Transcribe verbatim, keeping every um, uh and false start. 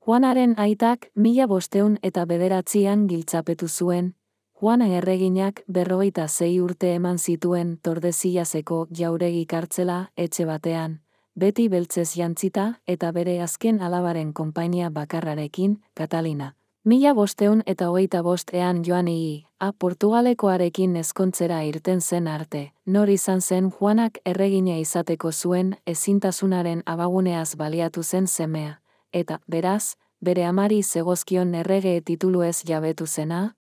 Juanaren aitak mila bosteun eta bederatzian giltzapetu zuen, Juana erreginak berrogeita sei urte eman zituen Tordesillaseko jauregi kartzela etxe batean, beti beltzez jantzita eta bere azken alabaren konpainia bakarrarekin, Katalina. Mila bosteun eta hogeita bostean joan ii, a Portugalekoarekin ezkontzera irten zen arte, nor izan zen Juanak erregina izateko zuen ezintasunaren abaguneaz baliatu zen semea, eta, beraz, bere amari zegozkion errege tituluez jabetu zena,